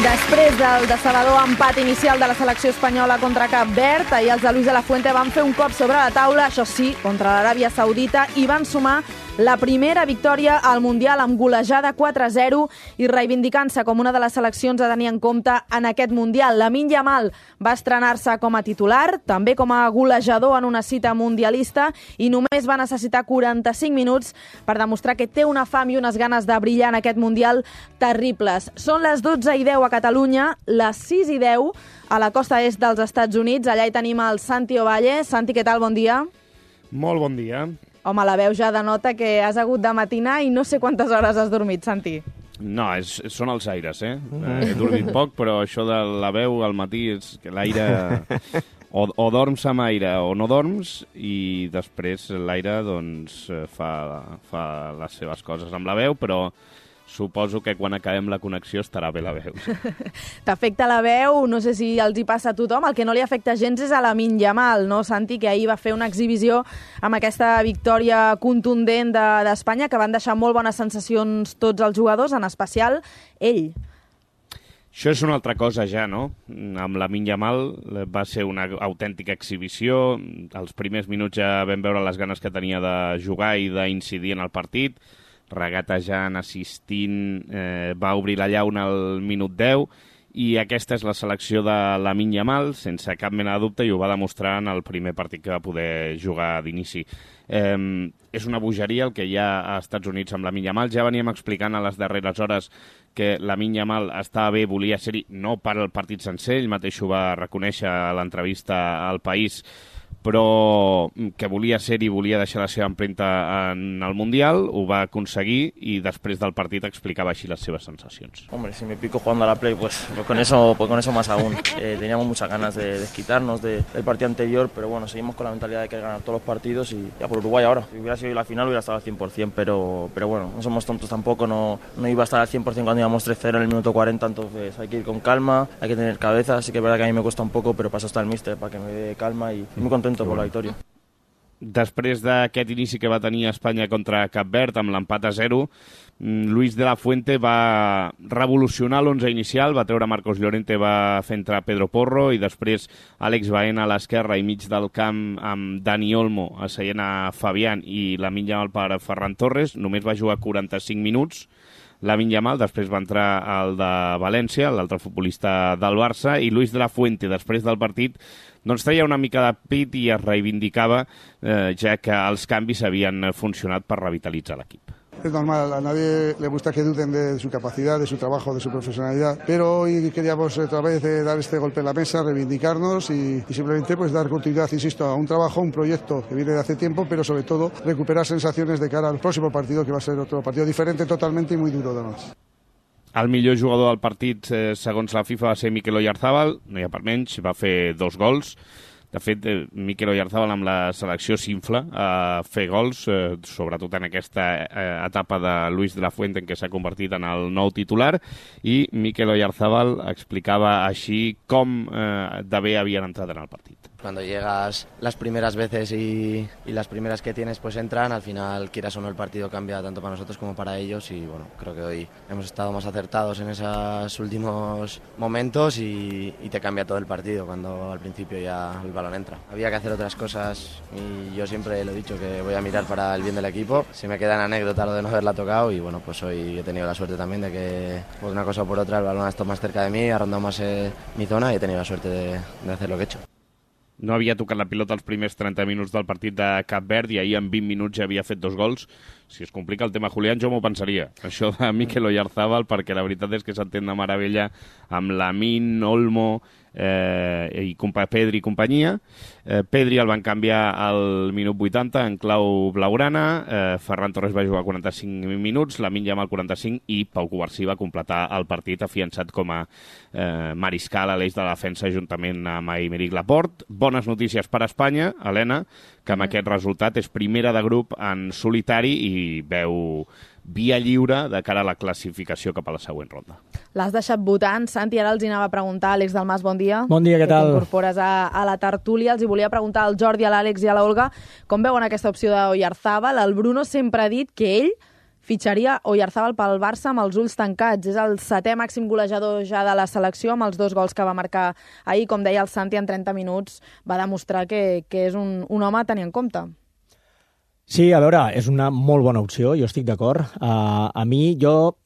Després del decebedor empat inicial de la selecció espanyola contra Cap Verd, ahir els de Luis de la Fuente van fer un cop sobre la taula, això sí, contra l'Aràbia Saudita, i van sumar la primera victòria al Mundial amb golejada 4-0 i reivindicant-se com una de les seleccions a tenir en compte en aquest Mundial. Lamine Yamal va estrenar-se com a titular, també com a golejador en una cita mundialista, i només va necessitar 45 minuts per demostrar que té una fam i unes ganes de brillar en aquest Mundial terribles. Són les 12:10 a Catalunya, les 6:10 a la costa est dels Estats Units. Allà hi tenim el Santi Ovalle. Santi, què tal? Bon dia. Molt bon dia. Home, la veu ja denota que has hagut de matinar i no sé quantes hores has dormit, Santi. No, són els aires, eh? He dormit poc, però això de la veu al matí és que l'aire... O dorms amb aire o no dorms, i després l'aire doncs, fa les seves coses amb la veu, però suposo que quan acabem la connexió estarà bé la veu. T'afecta la veu, no sé si els hi passa a tothom. El que no li afecta gens és a Lamine Yamal, no, Santi, que ahir va fer una exhibició amb aquesta victòria contundent d'Espanya, que van deixar molt bones sensacions tots els jugadors, en especial ell. Això és una altra cosa ja, no? Amb Lamine Yamal va ser una autèntica exhibició. Els primers minuts ja vam veure les ganes que tenia de jugar i d'incidir en el partit. Regatejant, assistint, va obrir la llauna al minut 10, i aquesta és la selecció de Lamine Yamal, sense cap mena de dubte, i ho va demostrar en el primer partit que va poder jugar d'inici. És una bogeria el que hi ha als Estats Units amb Lamine Yamal. Ja veníem explicant a les darreres hores que Lamine Yamal estava bé, volia ser-hi, no per al partit sencer, ell mateix ho va reconèixer a l'entrevista al País, però que volia ser-hi, volia deixar la seva empremta en el Mundial, ho va aconseguir, i després del partit explicava així les seves sensacions. Hombre, si me pico jugando a la Play, pues con eso más aún. Teníamos muchas ganas de desquitarnos del partido anterior, pero bueno, seguimos con la mentalidad de querer ganar todos los partidos y ya por Uruguay ahora. Si hubiera sido la final hubiera estado al 100%, pero bueno, no somos tontos tampoco, no iba a estar al 100% cuando íbamos 3-0 en el minuto 40, entonces hay que ir con calma, hay que tener cabeza, así que es verdad que a mí me cuesta un poco, pero paso hasta el míster para que me dé calma y muy contento por la victòria. Després d'aquest inici que va tenir Espanya contra Cap Verd amb l'empat a 0, Luis de la Fuente va revolucionar l'11 inicial, va treure Marcos Llorente, va fer entrar Pedro Porro, i després Àlex Baena a l'esquerra i mig del camp amb Dani Olmo asseient a Fabián i Lamine Yamal per Ferran Torres. Només va jugar 45 minuts. Lamine Yamal, després va entrar el de València, l'altre futbolista del Barça, i Luis de la Fuente, després del partit, doncs treia una mica de pit i es reivindicava, ja que els canvis havien funcionat per revitalitzar l'equip. Es normal, a nadie le gusta que duden de su capacidad, de su trabajo, de su profesionalidad, pero hoy queríamos otra vez dar este golpe en la mesa, reivindicarnos y simplemente pues dar continuidad, insisto, a un trabajo, un proyecto que viene de hace tiempo, pero sobre todo recuperar sensaciones de cara al próximo partido, que va a ser otro partido diferente totalmente y muy duro además. El millor jugador del partit, segons la FIFA, va ser Mikel Oyarzabal, no hi ha per menys, va fer 2 gols. De fet, Mikel Oyarzabal amb la selecció s'infla a fer gols, sobretot en aquesta etapa de Luis de la Fuente en què s'ha convertit en el nou titular, i Mikel Oyarzabal explicava així com de bé havien entrat en el partit. Cuando llegas las primeras veces y las primeras que tienes pues entran, al final quieras o no el partido cambia tanto para nosotros como para ellos, y bueno, creo que hoy hemos estado más acertados en esos últimos momentos y te cambia todo el partido cuando al principio ya el balón entra. Había que hacer otras cosas y yo siempre lo he dicho que voy a mirar para el bien del equipo. Se me queda en anécdota lo de no haberla tocado y bueno, pues hoy he tenido la suerte también de que por una cosa o por otra el balón ha estado más cerca de mí, ha rondado más mi zona y he tenido la suerte de hacer lo que he hecho. No havia tocat la pilota els primers 30 minuts del partit de Cap Verd i ahir en 20 minuts ja havia fet 2 gols. Si es complica el tema Julián, jo m'ho pensaria, això de Mikel Oyarzabal, perquè la veritat és que s'entén de meravella amb Lamine, Olmo, Pedri i companyia. Pedri el van canviar al minut 80 en clau blaugrana, Ferran Torres va jugar 45 minuts, Lamine Yamal 45 i Pau Cubarsí va completar el partit afiançat com a mariscal a l'eix de la defensa juntament amb Aymeric Laporte. Bones notícies per a Espanya, Helena, que amb aquest resultat és primera de grup en solitari i veu via lliure de cara a la classificació cap a la següent ronda. L'has deixat votant, Santi, ara els hi anava a preguntar. Àlex Dalmas, bon dia. Bon dia, què tal? Que t'incorpores a la tertúlia. Els hi volia preguntar al Jordi, a l'Àlex i a l'Olga com veuen aquesta opció d'Oyarzabal. El Bruno sempre ha dit que ell fitxaria Oyarzabal pel Barça amb els ulls tancats. És el 7è màxim golejador ja de la selecció, amb els 2 gols que va marcar ahir. Com deia el Santi, en 30 minuts va demostrar que és un home a tenir en compte. Sí, a veure, és una molt bona opció, jo estic d'acord. A mi,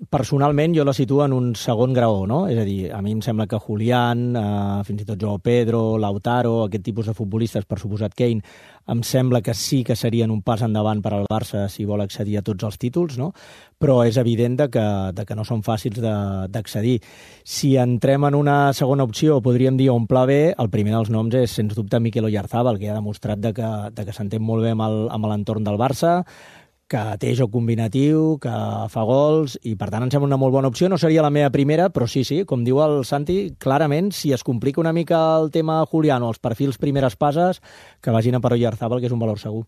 personalment, jo la situo en un segon graó, no? És a dir, a mi em sembla que Julián, fins i tot Joao Pedro, Lautaro, aquest tipus de futbolistes, per suposat Kane, em sembla que sí que serien un pas endavant per al Barça si vol accedir a tots els títols, no? Però és evident que no són fàcils d'accedir. Si entrem en una segona opció, podríem dir un pla B, el primer dels noms és, sens dubte, Mikel Oyarzabal, que ha demostrat que s'entén molt bé amb l'entorn del Barça, que té joc combinatiu, que fa gols, i per tant em sembla una molt bona opció. No seria la meva primera, però sí, com diu el Santi, clarament, si es complica una mica el tema Julián o els perfils primeres passes, que vagin a per Oyarzabal, que és un valor segur.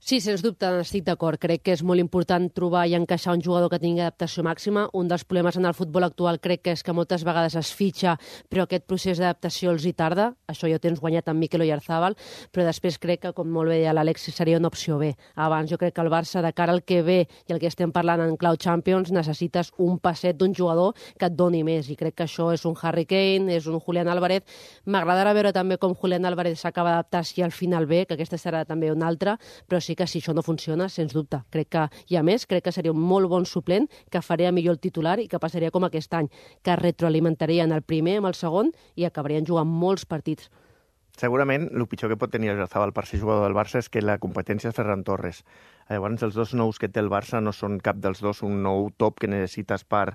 Sí, sens dubte, estic d'acord. Crec que és molt important trobar i encaixar un jugador que tingui adaptació màxima. Un dels problemes en el futbol actual crec que és que moltes vegades es fitxa, però aquest procés d'adaptació els hi tarda. Això ja ho tens guanyat amb Mikel Oyarzabal, però després crec que, com molt bé deia l'Àlex, seria una opció B. Abans jo crec que el Barça, de cara al que ve i el que estem parlant en clau Champions, necessites un passet d'un jugador que et doni més, i crec que això és un Harry Kane, és un Julián Álvarez. M'agradarà veure també com Julián Álvarez s'acaba d'adaptar si al final ve, que aquesta serà també una altra, però sí que si això no funciona, sens dubte. Crec que, i a més, crec que seria un molt bon suplent, que faria millor el titular i que passaria com aquest any, que retroalimentaria en el primer, amb el segon, i acabarien jugant molts partits. Segurament, el pitjor que pot tenir Oyarzabal per ser jugador del Barça és que la competència és Ferran Torres. Llavors, els 2 nous que té el Barça no són cap dels 2 un nou top que necessites per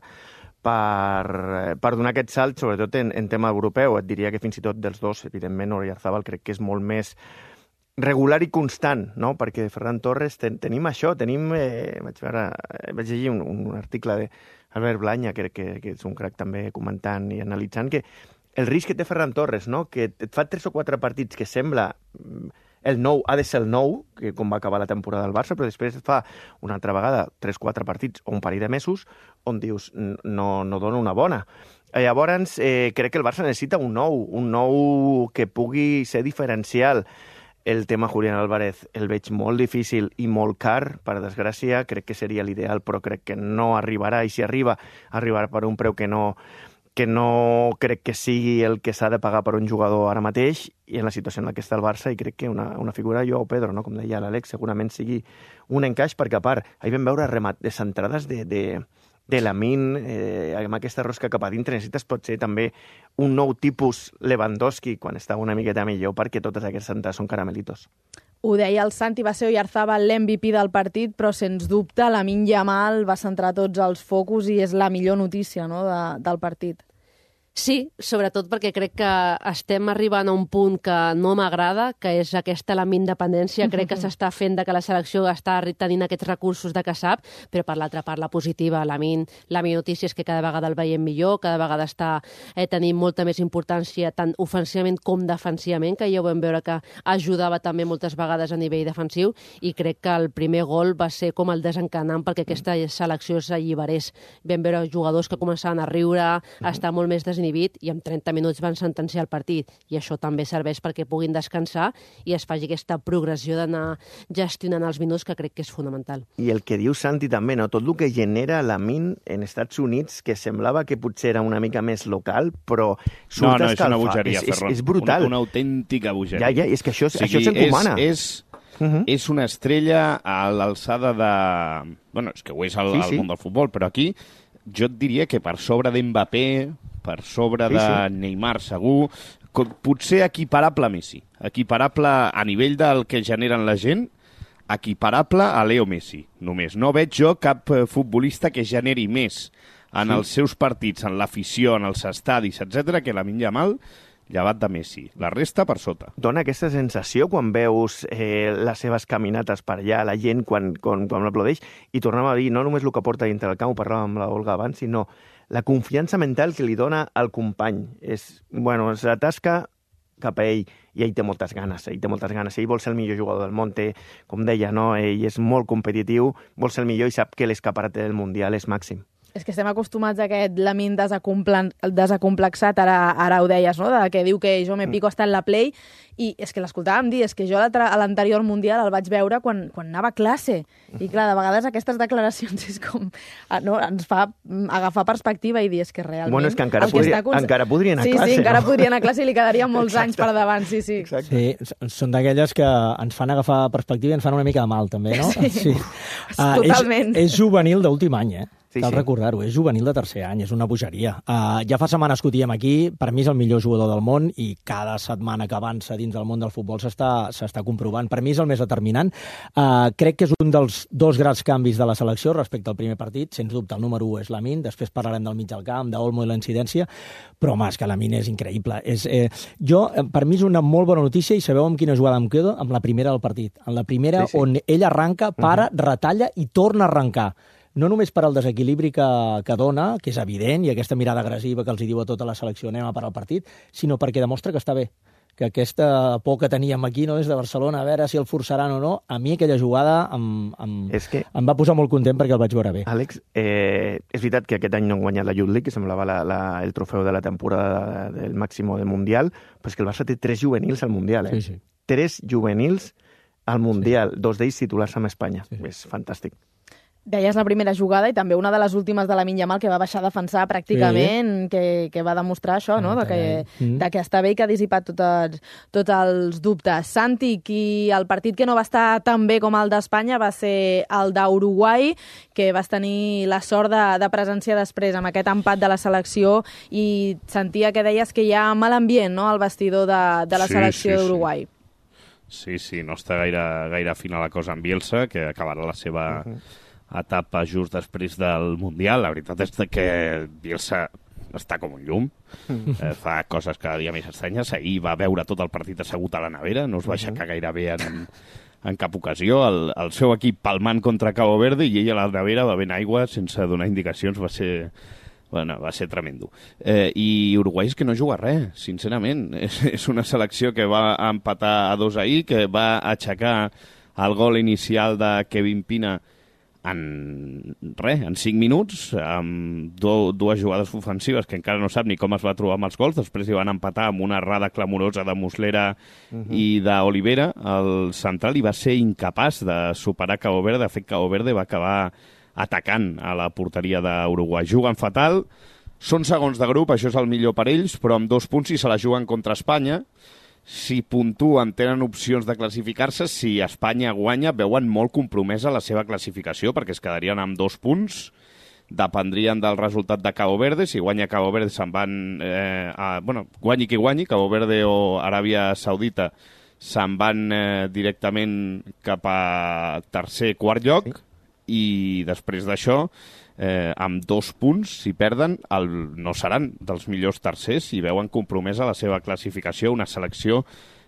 donar aquest salt, sobretot en tema europeu. Et diria que fins i tot dels 2, evidentment, Oyarzabal crec que és molt més regular i constant, no? Perquè Ferran Torres tenim això, vaig llegir un article d'Albert Blanya, que és un crac també comentant i analitzant, que el risc que té Ferran Torres, no? Que et fa 3 o 4 partits que sembla el nou, ha de ser el nou, que com va acabar la temporada del Barça, però després et fa una altra vegada 3-4 partits o un parell de mesos on dius no dona una bona. Llavors, crec que el Barça necessita un nou que pugui ser diferencial. El tema Julián Álvarez el veig molt difícil i molt car, per desgràcia, crec que seria l'ideal, però crec que no arribarà, i si arribarà per un preu que no crec que sigui el que s'ha de pagar per un jugador ara mateix, i en la situació en la que està el Barça, i crec que una figura Joao Pedro, no? Com deia l'Àlex, segurament sigui un encaix, perquè a part, ahir vam veure centrades de Lamine, amb aquesta rosca cap a dintre, necessites potser també un nou tipus Lewandowski quan està una miqueta millor, perquè totes aquestes centrades són caramelitos. Ho deia el Santi, va ser Oyarzabal l'MVP del partit, però sens dubte Lamine Yamal va centrar tots els focus i és la millor notícia, no, del partit. Sí, sobretot perquè crec que estem arribant a un punt que no m'agrada, que és aquesta element d'independència. Crec que s'està fent que la selecció està tenint aquests recursos de que sap, però per l'altra part, la positiva, la millor notícia és que cada vegada el veiem millor, cada vegada està tenint molta més importància tant ofensivament com defensivament, que ja ho vam veure que ajudava també moltes vegades a nivell defensiu, i crec que el primer gol va ser com el desencanant perquè aquesta selecció s'alliberés. Vam veure jugadors que començaven a riure, a estar molt més desinhibits, i en 30 minuts van sentenciar el partit, i això també serveix perquè puguin descansar i es faci aquesta progressió d'anar gestionant els minuts, que crec que és fonamental. I el que diu Santi també, no? Tot el que genera Lamine en Estats Units, que semblava que potser era una mica més local, però surt escalfat. És una bogeria, Ferran. És brutal. Una autèntica bogeria. Ja, és que això s'encomana. És una estrella a l'alçada de... Bueno, és que ho és al món del futbol, però aquí jo et diria que per sobre d'Mbappé, per sobre de Neymar segur, potser equiparable a Messi, equiparable a nivell del que generen la gent, equiparable a Leo Messi, només. No veig jo cap futbolista que generi més en els seus partits, en l'afició, en els estadis, etc., que Lamine Yamal, llevat de Messi. La resta per sota. Dona aquesta sensació quan veus les seves caminates per allà, la gent quan l'aplaudeix, i tornem a dir, no només el que porta dintre del camp, ho parlàvem amb l'Olga abans, sinó la confiança mental que li dona al company. Se tasca cap a ell, i ell té moltes ganes, ell vol ser el millor jugador del món, com deia, no? Ell és molt competitiu, vol ser el millor i sap que l'escaparat del Mundial és màxim. És que estem acostumats a aquest Lamine desacomplexat, ara ho deies, no? Que diu que jo me pico hasta en la play, i és que l'escoltàvem dir, és que jo a l'anterior Mundial el vaig veure quan anava a classe, i clar, de vegades aquestes declaracions és com, no, ens fa agafar perspectiva i dir, és que realment... Bueno, és que encara podria anar a classe. Sí, encara podria anar a classe i li quedarien molts anys per davant, sí. Sí, són d'aquelles que ens fan agafar perspectiva i ens fan una mica de mal, també, no? Sí. Totalment. És juvenil d'últim any, Cal sí. recordar-ho, és juvenil de tercer any, és una bogeria. Ja fa setmanes que ho diem aquí, per mi és el millor jugador del món i cada setmana que avança dins del món del futbol s'està comprovant. Per mi és el més determinant. Crec que és un dels dos grans canvis de la selecció respecte al primer partit. Sens dubte, el número 1 és Lamine, després parlarem del mig del camp, d'Olmo i la incidència, però home, és que Lamine és increïble. Per mi és una molt bona notícia i sabeu amb quina jugada em quedo? Amb la primera del partit. En la primera sí. On ell arranca, para, retalla i torna a arrencar. No només per al desequilibri que dona, que és evident, i aquesta mirada agressiva que els diu a tota la selecció anem a parar el partit, sinó perquè demostra que està bé, que aquesta por que teníem aquí, no, des de Barcelona, a veure si el forçaran o no, a mi aquella jugada em va posar molt content perquè el vaig veure bé. Àlex, és veritat que aquest any no han guanyat la Youth League, que semblava el trofeu de la temporada del Máximo del Mundial, però és que el Barça té 3 juvenils al Mundial, Sí. 3 juvenils al Mundial, 2 d'ells titulars amb Espanya. Sí. És fantàstic. Deies la primera jugada i també una de les últimes de Lamine Yamal que va baixar a defensar pràcticament, que va demostrar això, no? de que està bé i que ha dissipat tots els dubtes. Santi, el partit que no va estar tan bé com el d'Espanya va ser el d'Uruguai, que vas tenir la sort de presenciar després amb aquest empat de la selecció i sentia que deies que hi ha mal ambient, no?, al vestidor de la selecció d'Uruguai. Sí, no està gaire fina la cosa amb Bielsa, que acabarà la seva... etapa just després del Mundial. La veritat és que Bielsa està com un llum, fa coses cada dia més estranyes. Ahir va veure tot el partit assegut a la nevera, no es va aixecar gaire bé en cap ocasió. El seu equip palmant contra Cabo Verde i ell a la nevera bevent aigua sense donar indicacions. Va ser tremendo. I Uruguai és que no juga res, sincerament. És una selecció que va empatar a 2 ahir, que va aixecar el gol inicial de Kevin Pina en 5 minuts, amb dues jugades ofensives que encara no sap ni com es va trobar amb els gols. Després hi van empatar amb una errada clamorosa de Muslera i d'Olivera, el central, i va ser incapaç de superar Cabo Verde. De fet, Cabo Verde va acabar atacant a la porteria d'Uruguai. Juguen fatal, són segons de grup, això és el millor per ells, però amb 2 punts si se la juguen contra Espanya. Si puntuen, tenen opcions de classificar-se. Si Espanya guanya, veuen molt compromesa la seva classificació, perquè es quedarien amb 2 punts. Dependrien del resultat de Cabo Verde. Si guanya Cabo Verde, se'n van... guanyi qui guanyi, Cabo Verde o Aràbia Saudita, se'n van directament cap a tercer, quart lloc, i després d'això... amb 2 punts, si perden, no seran dels millors tercers i veuen compromesa la seva classificació. Una selecció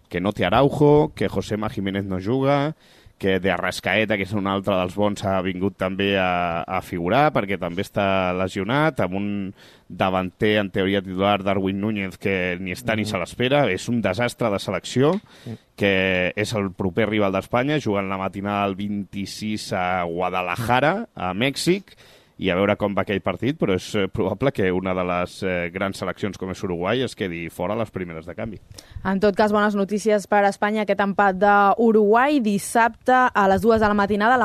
que no té Araujo, que Josema Jiménez no juga, que de Arrascaeta, que és un altre dels bons, ha vingut també a figurar perquè també està lesionat, amb un davanter en teoria titular, Darwin Núñez, que ni està ni se l'espera. És un desastre de selecció, que és el proper rival d'Espanya, jugant la matinada el 26 a Guadalajara, a Mèxic, i a veure com va aquell partit, però és probable que una de les grans seleccions com és Uruguai es quedi fora a les primeres de canvi. En tot cas, bones notícies per a Espanya, aquest empat d'Uruguai. Dissabte a les 2 de la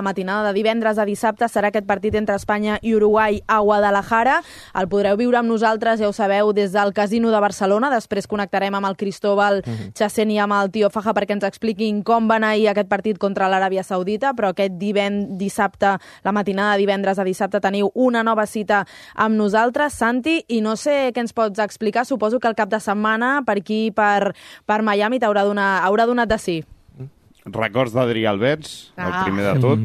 matinada de divendres a dissabte, serà aquest partit entre Espanya i Uruguai a Guadalajara. El podreu viure amb nosaltres, ja ho sabeu, des del Casino de Barcelona. Després connectarem amb el Cristóbal Chacén i amb el Tio Faja perquè ens expliquin com va anar ahir aquest partit contra l'Aràbia Saudita, però aquest dissabte, la matinada de divendres a dissabte, teniu una nova cita amb nosaltres, Santi, i no sé què ens pots explicar. Suposo que el cap de setmana per aquí, per Miami, haurà donat de sí. Records d'Adrià Alberts, el primer de tot.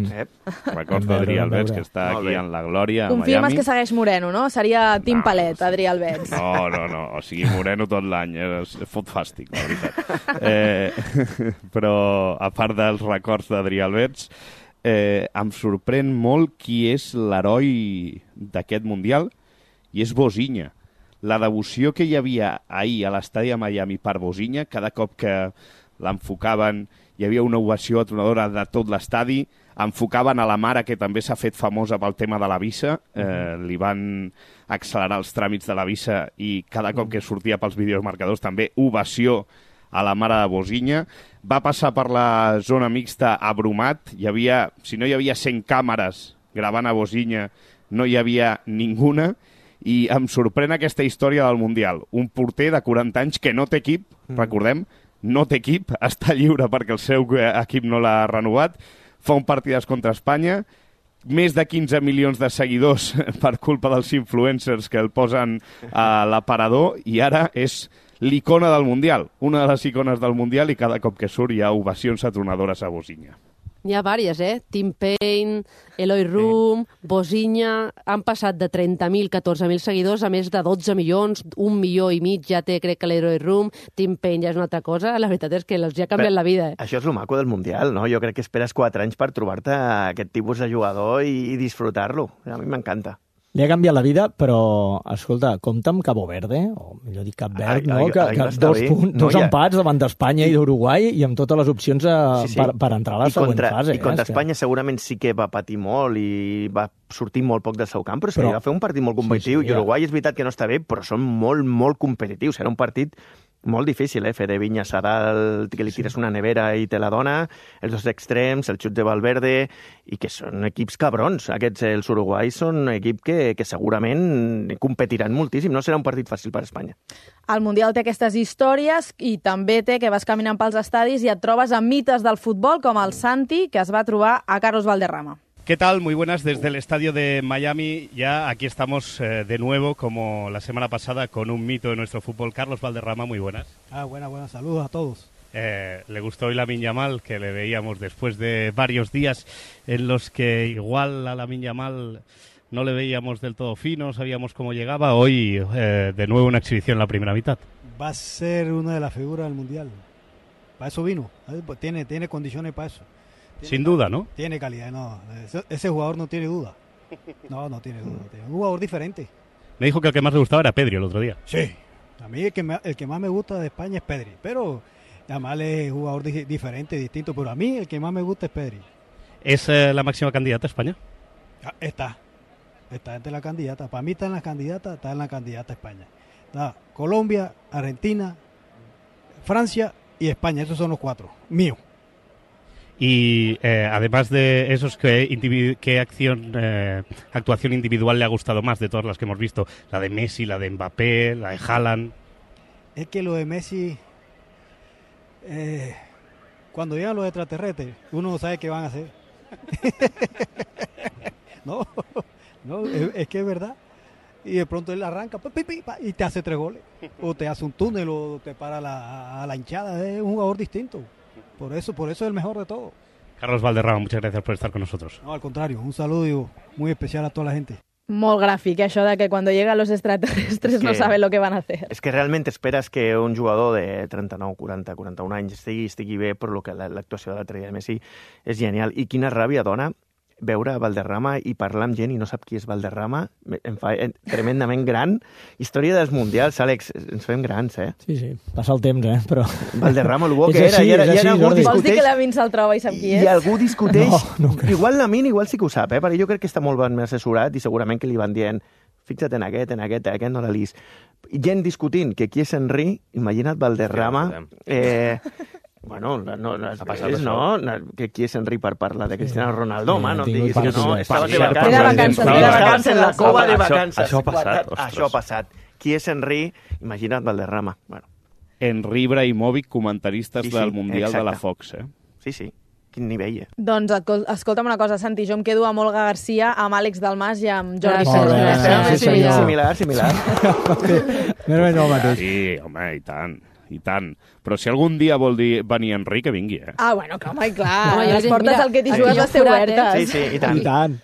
Records d'Adrià Alberts, que està aquí en la glòria a Miami. Confirmes que segueix moreno, no? Seria Tim Palet, Adrià Alberts. No. O sigui, moreno tot l'any. Fot fàstic, la veritat. Però, a part dels records d'Adrià Alberts, em sorprèn molt qui és l'heroi d'aquest Mundial, i és Bosinha. La devoció que hi havia ahir a l'estadi de Miami per Bosinha, cada cop que l'enfocaven, hi havia una ovació atronadora de tot l'estadi, enfocaven a la mare, que també s'ha fet famosa pel tema de la visa, li van accelerar els tràmits de la visa i cada cop que sortia pels videomarcadors també ovació a la mare de Bosinha. Va passar per la zona mixta a Brumat, si no hi havia 100 càmeres gravant a Bosinha, no hi havia ninguna, i em sorprèn aquesta història del Mundial. Un porter de 40 anys que no té equip, recordem, no té equip, està lliure perquè el seu equip no l'ha renovat, fa un partidàs contra Espanya, més de 15 milions de seguidors per culpa dels influencers que el posen a l'aparador, i ara és l'icona del Mundial, una de les icones del Mundial, i cada cop que surt hi ha ovacions atronadores a Bosinha. N'hi ha diverses, Tim Payne, Eloy Room, Bosinha, han passat de 30.000, 14.000 seguidors a més de 12 milions, 1,5 milió ja té, crec que l'Eloy Room, Tim Payne ja és una altra cosa, la veritat és que els ha canviat la vida. Això és el maco del Mundial, no? Jo crec que esperes 4 anys per trobar-te aquest tipus de jugador i disfrutar-lo. A mi m'encanta. Li ha canviat la vida, però, escolta, compta amb Cabo Verde, o millor dit Cap Verd, no? Que dos empats davant d'Espanya i d'Uruguai i amb totes les opcions per entrar a la següent fase. I contra Espanya segurament sí que va patir molt i va sortir molt poc del seu camp, però va fer un partit molt competitiu. I Uruguai és veritat que no està bé, però són molt, molt competitius. Era un partit molt difícil, fer de Viña Sadal, que li tires una nevera i te la dona, els dos extrems, el xut de Valverde, i que són equips cabrons. Els uruguais són un equip que segurament competiran moltíssim. No serà un partit fàcil per Espanya. El Mundial té aquestes històries i també té que vas caminant pels estadis i et trobes amb mites del futbol com el Santi, que es va trobar a Carlos Valderrama. ¿Qué tal? Muy buenas desde el estadio de Miami. Ya aquí estamos de nuevo, como la semana pasada, con un mito de nuestro fútbol. Carlos Valderrama, muy buenas. Buenas. Saludos a todos. Le gustó hoy Lamine Yamal, que le veíamos después de varios días en los que igual a Lamine Yamal no le veíamos del todo fino, sabíamos cómo llegaba. Hoy de nuevo una exhibición en la primera mitad. Va a ser una de las figuras del Mundial. Para eso vino. Tiene condiciones para eso. Sin duda, ¿no? Tiene calidad, no. Ese jugador no tiene duda. No tiene duda. Es un jugador diferente. Me dijo que el que más le gustaba era Pedri el otro día. Sí. A mí el que más me gusta de España es Pedri. Pero Yamal es un jugador diferente, distinto. Pero a mí el que más me gusta es Pedri. ¿Es la máxima candidata a España? Está entre la candidata. Para mí está en la candidata a España. Está Colombia, Argentina, Francia y España. Esos son los 4. Míos. Y además de esos, ¿qué actuación individual le ha gustado más de todas las que hemos visto? La de Messi, la de Mbappé, la de Haaland. Es que lo de Messi, cuando llegan los extraterrestres, uno no sabe qué van a hacer. no, es que es verdad. Y de pronto él arranca y te hace 3 goles. O te hace un túnel o te para a la hinchada. Es un jugador distinto. Por eso es el mejor de todo. Carlos Valderrama, muchas gracias por estar con nosotros. No, al contrario, un saludo muy especial a toda la gente. Molt gràfic, això de que cuando llegan los extraterrestres no saben lo que van a hacer. És que realment esperes que un jugador de 39, 40, 41 anys estigui bé, però l'actuació de l'altre dia de Messi és genial. I quina ràbia dona veure Valderrama i parlar amb gent i no sap qui és Valderrama, em fa tremendament gran. Història dels Mundials, Àlex, ens fem grans, Sí, passa el temps, però... Valderrama, el bo que era, i ara algú discuteix... Vols dir que Lamine se'l troba i sap qui és? I algú discuteix... No, igual Lamine, igual sí que ho sap, perquè jo crec que està molt ben assessorat i segurament que li van dient fixa't en aquest no la lis. Gent discutint que qui és Henry, imagina't Valderrama... Bueno, que qui és Henry per parlar de Cristiano Ronaldo, home, no diguis que no, estava de vacances en la cova de vacances. Això ha passat. Qui és Henry? Imagina't Valderrama. Henry Ibrahimovic, comentaristes del Mundial de la Fox, Sí. Quin nivell, Doncs escolta'm una cosa, Santi, jo em quedo amb Olga Garcia, amb Àlex Dalmas i amb Jordi Pérez. Similar. Sí, home, i tant. Però si algun dia vol venir Henry, que vingui, bueno, que home, clar. Les portes al que t'hi jugues les té obertes. Sí, i tant.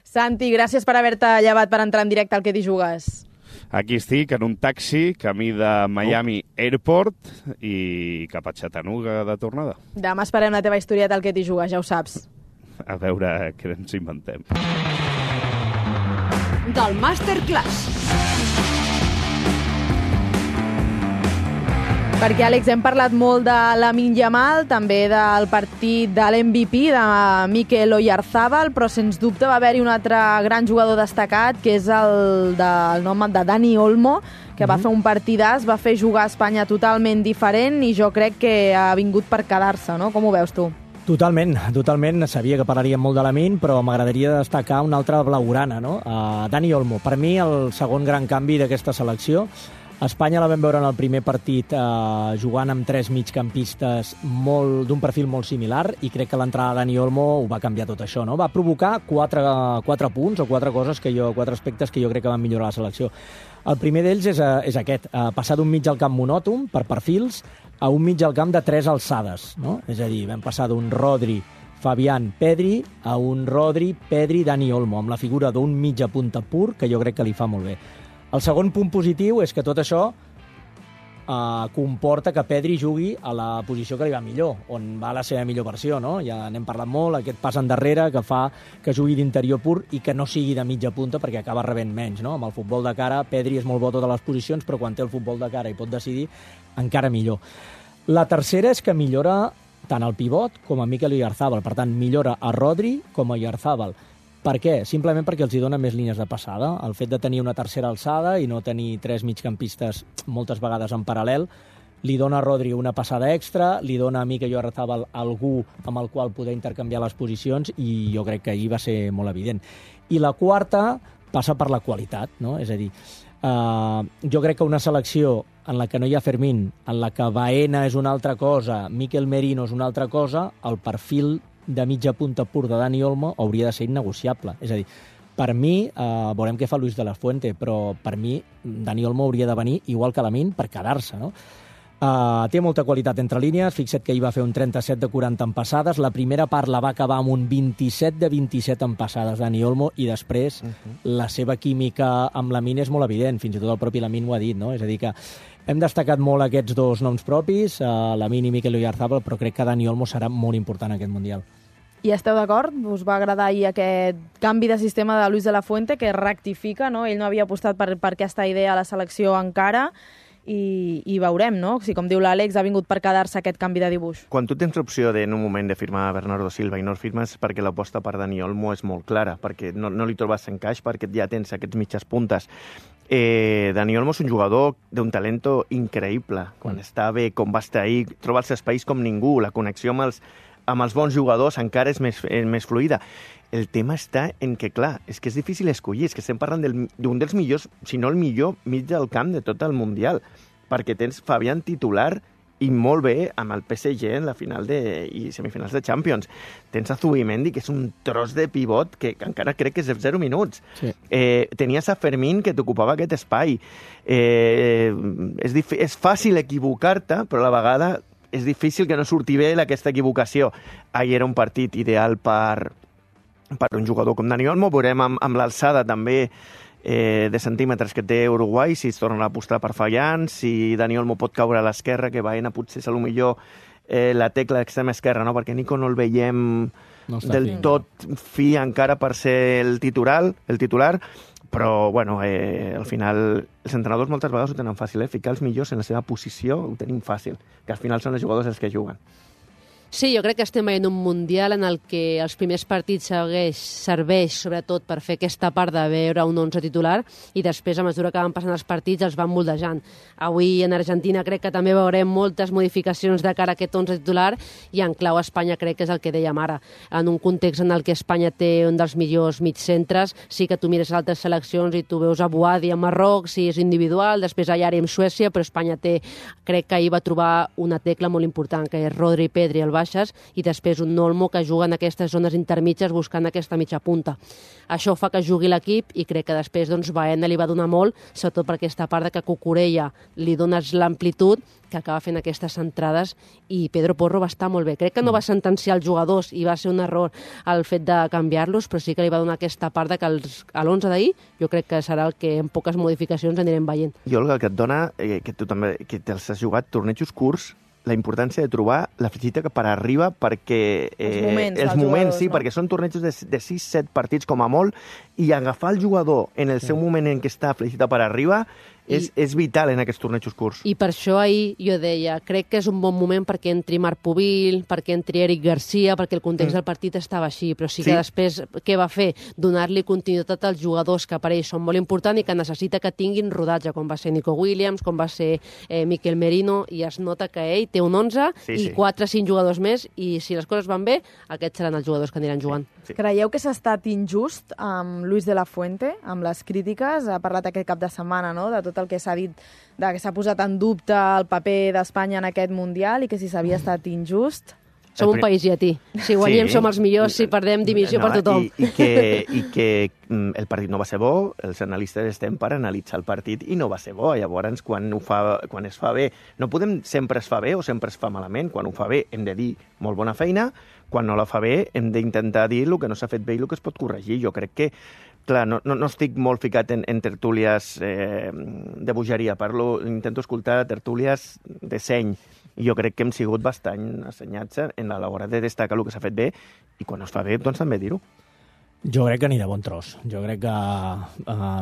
Santi, gràcies per haver-te llevat per entrar en directe al que t'hi jugues. Aquí estic, en un taxi, camí de Miami Airport i cap a Chattanooga de tornada. Demà esperem la teva historieta al que t'hi jugues, ja ho saps. A veure què ens inventem. Del Masterclass. Perquè, Àlex, hem parlat molt de Lamine Yamal, també del partit de l'MVP, de Mikel Oyarzabal, però sens dubte va haver-hi un altre gran jugador destacat, que és el del nom de Dani Olmo, que va fer un partidàs, va fer jugar a Espanya totalment diferent i jo crec que ha vingut per quedar-se, no? Com ho veus tu? Totalment. Sabia que parlaríem molt de Lamine, però m'agradaria destacar una altra blaugrana, no? Dani Olmo. Per mi, el segon gran canvi d'aquesta selecció. A Espanya la vam veure en el primer partit jugant amb 3 migcampistes d'un perfil molt similar i crec que l'entrada de Dani Olmo ho va canviar tot això, no? Va provocar 4 punts o 4 aspectes que jo crec que van millorar la selecció. El primer d'ells és aquest, passar d'un mig al camp monòton, per perfils, a un mig al camp de 3 alçades, no? És a dir, vam passar d'un Rodri, Fabián, Pedri, a un Rodri, Pedri, Dani Olmo, amb la figura d'un mitja punta pur, que jo crec que li fa molt bé. El segon punt positiu és que tot això comporta que Pedri jugui a la posició que li va millor, on va la seva millor versió, no? Ja n'hem parlat molt, aquest pas endarrere que fa que jugui d'interior pur i que no sigui de mitja punta perquè acaba rebent menys, no? Amb el futbol de cara, Pedri és molt bo a totes les posicions, però quan té el futbol de cara i pot decidir, encara millor. La tercera és que millora tant el pivot com a Mikel Oyarzabal, per tant, millora a Rodri com a Oyarzabal. Per què? Simplement perquè els hi dona més línies de passada. El fet de tenir una tercera alçada i no tenir 3 migcampistes moltes vegades en paral·lel li dona a Rodri una passada extra, li dona a Mikel Oyarzabal algú amb el qual poder intercanviar les posicions i jo crec que ahir va ser molt evident. I la quarta passa per la qualitat, no? És a dir, jo crec que una selecció en la que no hi ha Fermín, en la que Baena és una altra cosa, Mikel Merino és una altra cosa, el perfil de mitja punta pur de Dani Olmo hauria de ser innegociable. És a dir, per mi, veurem què fa Luis de la Fuente, però per mi Dani Olmo hauria de venir igual que Lamine per quedar-se, no? Té molta qualitat entre línies, fixa't que ell va fer un 37 de 40 en passades, la primera part la va acabar amb un 27 de 27 en passades Dani Olmo i després la seva química amb Lamine és molt evident, fins i tot el propi Lamine ho ha dit, no? És a dir que hem destacat molt aquests dos noms propis, Lamine i Mikel Oyarzabal, però crec que Dani Olmo serà molt important en aquest Mundial. I esteu d'acord? Us va agradar ahir aquest canvi de sistema de Luis de la Fuente, que rectifica, no? Ell no havia apostat per aquesta idea a la selecció encara, i veurem, no? Si, com diu l'Àlex, ha vingut per quedar-se aquest canvi de dibuix. Quan tu tens l'opció en un moment de firmar Bernardo Silva i no el firmes perquè l'aposta per Dani Olmo és molt clara, perquè no li trobes encaix, perquè ja tens aquests mitges puntes. Dani Olmo és un jugador d'un talento increïble. Quan està bé, com va estar ahir, troba els espais com ningú, la connexió amb els bons jugadors encara és més fluida. El tema està en que, clar, és que és difícil escollir, és que estem parlant d'un dels millors, si no el millor mig del camp de tot el Mundial, perquè tens Fabián titular i molt bé amb el PSG en la final i semifinals de Champions. Tens a Zubimendi, que és un tros de pivot que encara crec que és de 0 minuts. Sí. Tenies a Fermín, que t'ocupava aquest espai. És fàcil equivocar-te, però a la vegada és difícil que no surti bé aquesta equivocació. Ahir era un partit ideal per un jugador com Dani Olmo. Veurem amb l'alçada també de centímetres que té Uruguai, si es torna a apostar per Fabián, si Dani Olmo pot caure a l'esquerra, que Baena potser és millor la tecla d'extrema esquerra, no? Perquè Nico no el veiem del tot fi encara per ser el titular, però bueno, al final els entrenadors moltes vegades ho tenen fàcil, ficar els millors en la seva posició ho tenim fàcil, que al final són els jugadors els que juguen. Sí, jo crec que estem veient un Mundial en el que els primers partits serveix sobretot per fer aquesta part de veure un 11 titular i després, a mesura que van passant els partits, els van moldejant. Avui en Argentina crec que també veurem moltes modificacions de cara a aquest 11 titular i en clau Espanya crec que és el que dèiem ara. En un context en el que Espanya té un dels millors mitjcentres, sí que tu mires altres seleccions i tu veus a Boadi a Marroc, si és individual, després a Yari amb Suècia, però Espanya crec que ahir va trobar una tecla molt important, que és Rodri i Pedri al baixes i després un Olmo que juga en aquestes zones intermitges buscant aquesta mitja punta. Això fa que jugui l'equip i crec que després Baena li va donar molt, sobretot per aquesta part de que Cucurella li dones l'amplitud que acaba fent aquestes entrades i Pedro Porro va estar molt bé. Crec que no va sentenciar els jugadors i va ser un error el fet de canviar-los, però sí que li va donar aquesta part de que a l'11 d'ahir jo crec que serà el que en poques modificacions anirem veient. I Olga, que et dona, que tu també que te'ls has jugat tornejos curts, la importància de trobar la fitxita que per arriba perquè els moments sí, perquè són tornejos de 6-7 partits com a molt i agafar el jugador en el seu moment en què està fitxita per arriba És vital en aquests tornejos curts. I per això ahir jo deia, crec que és un bon moment perquè entri Marc Pubil, perquè entri Eric Garcia, perquè el context del partit estava així, però sí que després què va fer? Donar-li continuïtat als jugadors que per ells són molt importants i que necessita que tinguin rodatge, com va ser Nico Williams, com va ser Miquel Merino, i es nota que ell té un 11 i 4 o 5 jugadors més, i si les coses van bé, aquests seran els jugadors que aniran jugant. Creieu que s'ha estat injust amb Luis de la Fuente, amb les crítiques? Ha parlat aquest cap de setmana, no?, de tot el que s'ha dit, que s'ha posat en dubte el paper d'Espanya en aquest Mundial i que si s'havia estat injust. Som un país llatí. Si guanyem som els millors, si perdem dimissió per tothom. I que el partit no va ser bo, els analistes estem per analitzar el partit i no va ser bo. Llavors, quan es fa bé, no podem sempre es fa bé o sempre es fa malament. Quan ho fa bé hem de dir molt bona feina, quan no la fa bé hem d'intentar dir el que no s'ha fet bé i el que es pot corregir. Jo crec que, clar, no estic molt ficat en tertúlies de bogeria, intento escoltar tertúlies de seny. I jo crec que hem sigut bastant assenyats a l'hora de destacar el que s'ha fet bé i quan es fa bé, doncs també dir-ho. Jo crec que ni de bon tros. Jo crec que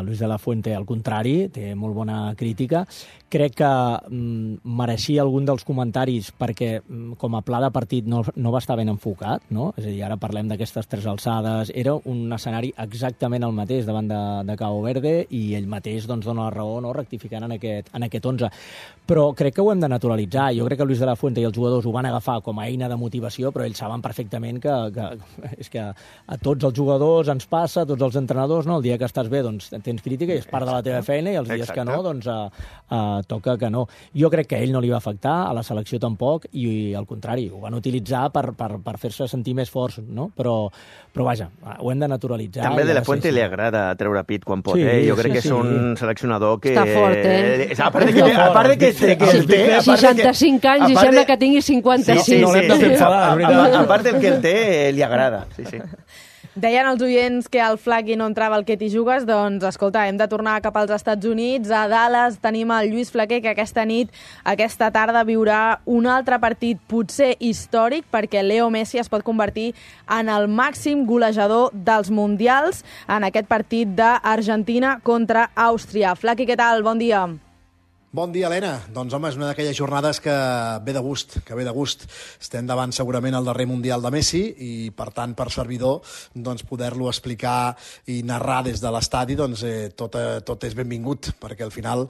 Luis de la Fuente, al contrari, té molt bona crítica. Crec que mereixia algun dels comentaris perquè com a pla de partit no va estar ben enfocat, no? És a dir, ara parlem d'aquestes 3 alçades. Era un escenari exactament el mateix davant de Cabo Verde i ell mateix doncs, dona la raó, no?, rectificant en aquest 11. Però crec que ho hem de naturalitzar. Jo crec que Luis de la Fuente i els jugadors ho van agafar com a eina de motivació, però ells saben perfectament que és que a tots els jugadors ens passa, tots els entrenadors, no? El dia que estàs bé, doncs tens crítica i és part de la teva feina, i els dies que no, doncs toca que no. Jo crec que a ell no li va afectar, a la selecció tampoc, i al contrari, ho van utilitzar per fer-se sentir més forts, no? Però vaja, ho hem de naturalitzar. També de la Fuente li agrada treure pit quan pot, Jo crec que és un seleccionador que... Està fort, A part de que el té... 65 anys i sembla que tingui 56. No l'hem de fer enfadar, és veritat. A part del que el té, li agrada, sí. Deien els oients que al Flaqui no entrava el que t'hi jugues, doncs, escolta, hem de tornar cap als Estats Units. A Dallas tenim el Lluís Flaquer, que aquesta tarda, viurà un altre partit, potser històric, perquè Leo Messi es pot convertir en el màxim golejador dels Mundials en aquest partit d'Argentina contra Àustria. Flaqui, què tal? Bon dia. Bon dia, Helena. Doncs, home, és una d'aquelles jornades que ve de gust, Estem davant segurament el darrer Mundial de Messi i, per tant, per servidor, doncs, poder-lo explicar i narrar des de l'estadi, doncs, tot és benvingut, perquè al final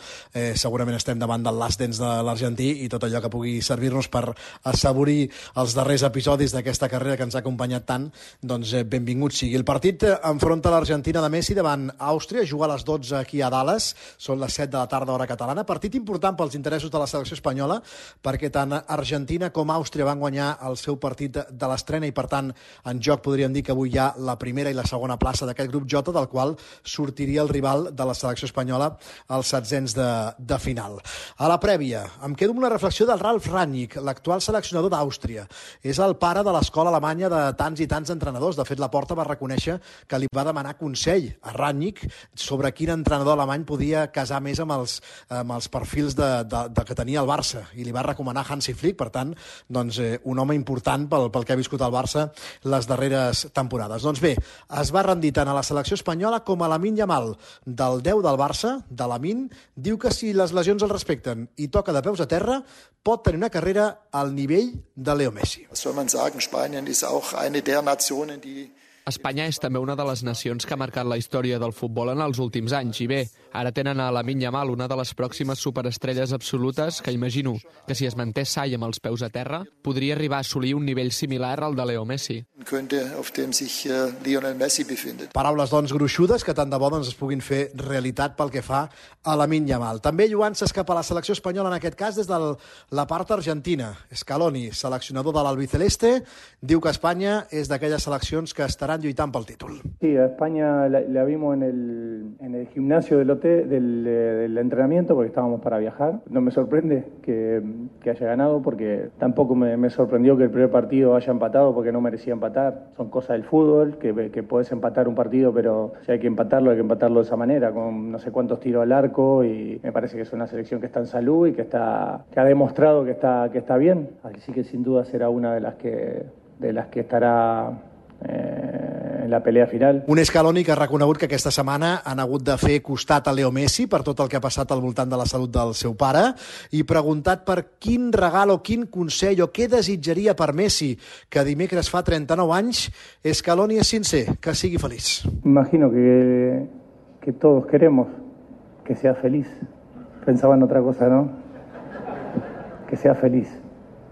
segurament estem davant del last dance de l'argentí i tot allò que pugui servir-nos per assaborir els darrers episodis d'aquesta carrera que ens ha acompanyat tant, doncs benvingut sigui. El partit enfronta l'Argentina de Messi davant Àustria, juga a les 12 aquí a Dallas, són les 7 de la tarda hora catalana, partit important pels interessos de la selecció espanyola, perquè tant Argentina com Àustria van guanyar el seu partit de l'estrena i, per tant, en joc podríem dir que avui hi ha la primera i la segona plaça d'aquest grup J, del qual sortiria el rival de la selecció espanyola als setzents de final. A la prèvia, em quedo amb una reflexió del Ralf Rangnick, l'actual seleccionador d'Àustria. És el pare de l'escola alemanya de tants i tants entrenadors. De fet, Laporta va reconèixer que li va demanar consell a Rangnick sobre quin entrenador alemany podia casar més amb els perfils que tenia el Barça, i li va recomanar Hansi Flick. Per tant, doncs, un home important pel que ha viscut el Barça les darreres temporades. Doncs bé, es va rendir tant a la selecció espanyola com a Lamine Yamal. Del 10 del Barça, de Lamine, diu que si les lesions el respecten i toca de peus a terra, pot tenir una carrera al nivell de Leo Messi. Was soll man sagen? Spanien ist auch eine der Nationen, die Espanya és també una de les nacions que ha marcat la història del futbol en els últims anys. I bé, ara tenen a Lamine Yamal, una de les pròximes superestrelles absolutes, que imagino que si es manté sa i amb els peus a terra, podria arribar a assolir un nivell similar al de Leo Messi. Auf dem sich Lionel Messi befindet. Paraules, doncs, gruixudes que tant de bo es puguin fer realitat pel que fa a Lamine Yamal. També lluant-se cap a la selecció espanyola, en aquest cas des de la part argentina. Scaloni, seleccionador de l'albiceleste, diu que Espanya és d'aquelles seleccions que estaran lluitant pel títol. Sí, a España la vimos en el gimnasio del hotel, del entrenamiento, porque estábamos para viajar. No me sorprende que haya ganado, porque tampoco me sorprendió que el primer partido haya empatado, porque no merecía empatar. Son cosas del fútbol, que puedes empatar un partido, pero si hay que empatarlo de esa manera, con no sé cuántos tiros al arco, y me parece que es una selección que está en salud y que ha demostrado que está bien. Así que sin duda será una de las que estará en la pelea final. Un Scaloni que ha reconegut que aquesta setmana han hagut de fer costat a Leo Messi per tot el que ha passat al voltant de la salut del seu pare, i preguntat per quin regal o quin consell o què desitjaria per Messi, que dimecres fa 39 anys, Scaloni és sincer, que sigui feliç. Imagino que todos queremos que sea feliz. Pensaba en otra cosa, ¿no? Que sea feliz.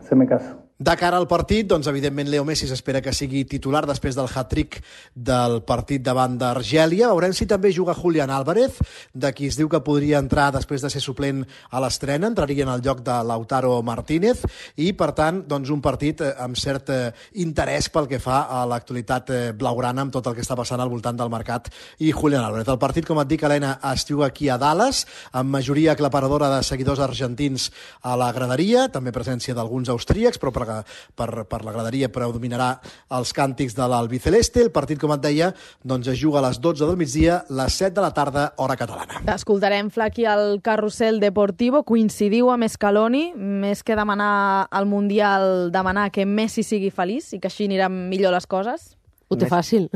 Se me caso. De cara al partit, doncs, evidentment, Leo Messi s'espera que sigui titular després del hat-trick del partit davant d'Argèlia. Veurem si també juga Julián Álvarez, de qui es diu que podria entrar després de ser suplent a l'estrena, entraria en el lloc de Lautaro Martínez, i, per tant, doncs, un partit amb cert interès pel que fa a l'actualitat blaugrana amb tot el que està passant al voltant del mercat i Julián Álvarez. El partit, com et dic, Helena, es juga aquí a Dallas, amb majoria aclaparadora de seguidors argentins a la graderia, també presència d'alguns austríacs, però per la graderia predominarà els càntics de l'albiceleste. El partit, com et deia, doncs es juga a les 12 del migdia, les 7 de la tarda, hora catalana. Escoltarem, Flaqui, el Carrusel Deportivo. Coincidiu amb Scaloni, més que demanar al Mundial, demanar que Messi sigui feliç i que així aniran millor les coses? Ho té fàcil.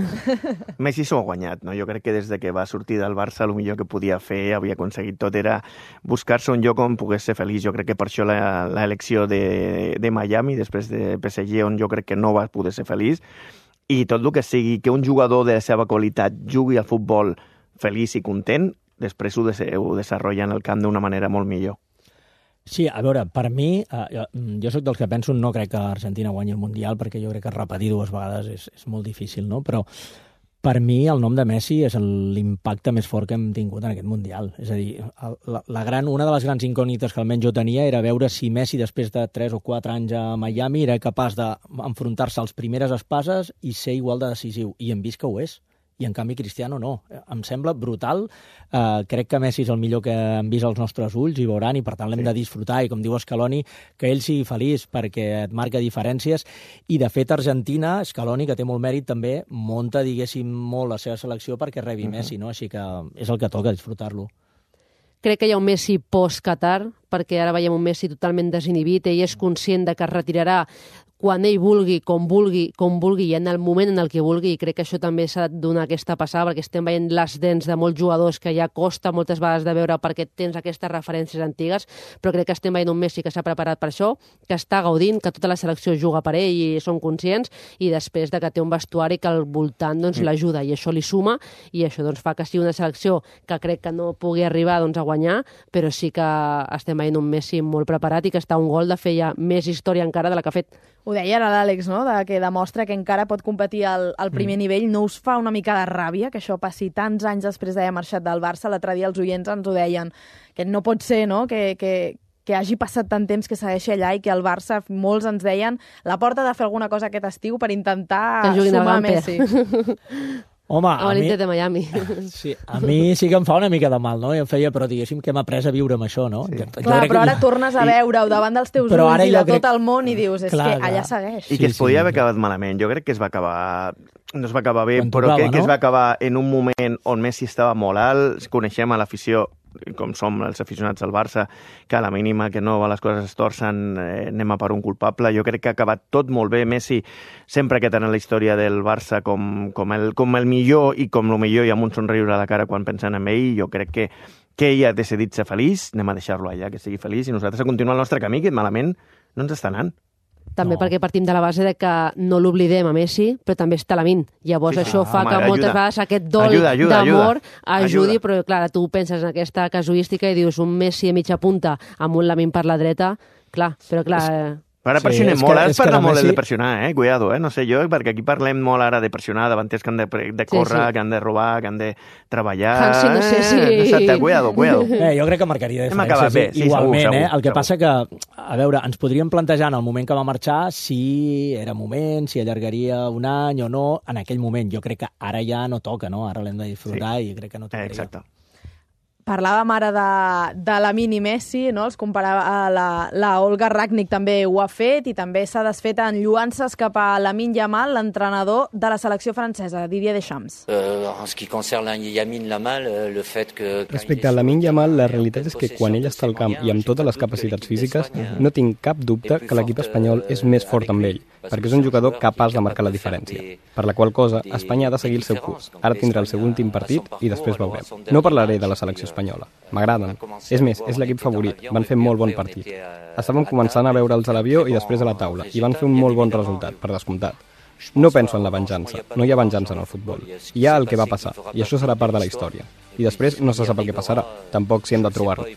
Messi s'ho ha guanyat, no? Jo crec que des de que va sortir del Barça el millor que podia fer, havia aconseguit tot, era buscar-se un lloc on pogués ser feliç. Jo crec que per això l'elecció de Miami, després de PSG, on jo crec que no va poder ser feliç, i tot el que sigui que un jugador de la seva qualitat jugui al futbol feliç i content, després ho desenvolupa en el camp d'una manera molt millor. Sí, a veure, per mi, jo sóc dels que penso, no crec que Argentina guanyi el Mundial, perquè jo crec que repetir dues vegades és molt difícil, no? Però per mi el nom de Messi és l'impacte més fort que hem tingut en aquest Mundial. És a dir, una de les grans incògnites que almenys jo tenia era veure si Messi, després de 3 o 4 anys a Miami, era capaç d'enfrontar-se als primeres espases i ser igual de decisiu. I hem vist que ho és. I en canvi Cristiano no. Em sembla brutal. Crec que Messi és el millor que han vist els nostres ulls i veuran, i per tant l'hem de disfrutar, i com diu Scaloni, que ell sigui feliç perquè et marca diferències. I de fet Argentina, Scaloni, que té molt mèrit també, munta, diguéssim, molt la seva selecció perquè rebi Messi, no? Així que és el que toca, disfrutar-lo. Crec que hi ha un Messi post-Qatar, perquè ara veiem un Messi totalment desinhibit. Ell és conscient de que es retirarà quan ell vulgui, com vulgui, i en el moment en el que vulgui, i crec que això també s'ha de donar aquesta passada, perquè estem veient les dents de molts jugadors que ja costa moltes vegades de veure perquè tens aquestes referències antigues, però crec que estem veient un Messi que s'ha preparat per això, que està gaudint, que tota la selecció juga per ell i són conscients, i després de que té un vestuari que al voltant doncs, l'ajuda, i això li suma, i això doncs, fa que sigui una selecció que crec que no pugui arribar doncs, a guanyar, però sí que estem veient un Messi molt preparat i que està a un gol de fer ja més història encara de la que ha fet. Ho deia ara l'Àlex, no?, que demostra que encara pot competir al primer nivell. No us fa una mica de ràbia que això passi tants anys després d'haver marxat del Barça? L'altre dia els oients ens ho deien, que no pot ser, no?, que hagi passat tant temps, que segueixi allà, i que el Barça, molts ens deien, la porta de fer alguna cosa aquest estiu per intentar sumar Messi. Home, a l'Inter de Miami. Sí, a mi sí que em fa una mica de mal, no? I em feia, però diguéssim que hem après a viure amb això, no? Sí. Clar, però ara tornes a veure-ho davant dels teus ulls i de tot el món i dius, és que allà segueix. I que es podia haver acabat malament. Jo crec que es va acabar... No es va acabar bé, però crec que es va acabar en un moment on Messi estava molt alt. Coneixem a l'afició, com som els aficionats al Barça, que a la mínima que no les coses es torcen, anem a per un culpable. Jo crec que ha acabat tot molt bé. Messi sempre que tenen la història del Barça com el millor, i com el millor, i amb un somriure a la cara quan pensen en ell. Jo crec que ell ha decidit ser feliç, anem a deixar-lo allà, que sigui feliç, i nosaltres a continuar el nostre camí, que malament no ens està anant. També perquè partim de la base de que no l'oblidem a Messi, però també està Lamine. Llavors això fa que moltes vegades aquest dol d'amor ajudi, però clar, tu penses en aquesta casuística i dius un Messi a mitja punta amb un Lamine per la dreta, clar, però clar... Ara pressionem molt, ara es parla molt de pressionar, cuidado, no sé jo, perquè aquí parlem molt ara de pressionar davanters que han de córrer, que han de robar, que han de treballar... Hansi, no sé si... Exacte, cuidado. Jo crec que marcaria diferències, igualment, el que passa que, a veure, ens podríem plantejar en el moment que va marxar si era moment, si allargaria un any o no, en aquell moment. Jo crec que ara ja no toca, no? Ara l'hem de disfrutar i crec que no tocaria. Exacte. Parlàvem ara de la mini Messi, no? Els comparava, la Olga Ragnik també ho ha fet i també s'ha desfet en lluances cap a Lamine Yamal, l'entrenador de la selecció francesa, Didier Deschamps. Respecte a Lamine Yamal, la realitat és que quan ell està al camp i amb totes les capacitats físiques, no tinc cap dubte que l'equip espanyol és més fort amb ell, perquè és un jugador capaç de marcar la diferència. Per la qual cosa, Espanya ha de seguir el seu curs. Ara tindrà el seu últim partit i després veurem. No parlaré de la selecció espanyola. M'agraden. És més, és l'equip favorit. Van fer molt bon partit. Estàvem començant a veure'ls a l'avió i després a la taula, i van fer un molt bon resultat, per descomptat. No penso en la venjança. No hi ha venjança en el futbol. Hi ha el que va passar, i això serà part de la història. I després no se sap el que passarà. Tampoc si hem de trobar-lo.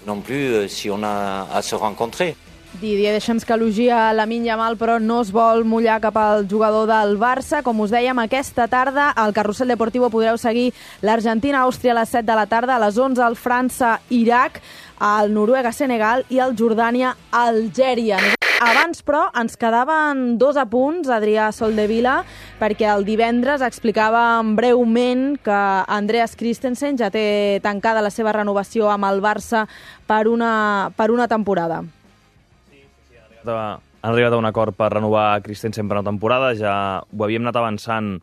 Didier Deschamps que elogia Lamine Yamal, però no es vol mullar cap al jugador del Barça. Com us dèiem, aquesta tarda al Carrusel Deportivo podreu seguir l'Argentina-Àustria a les 7 de la tarda, a les 11 el França-Iraq, el Noruega-Senegal i el Jordània-Algèria. Abans, però, ens quedaven 2 apunts, Adrià Soldevila, perquè el divendres explicàvem breument que Andreas Christensen ja té tancada la seva renovació amb el Barça per una temporada. Han arribat a un acord per renovar Christensen per una temporada, ja ho havíem anat avançant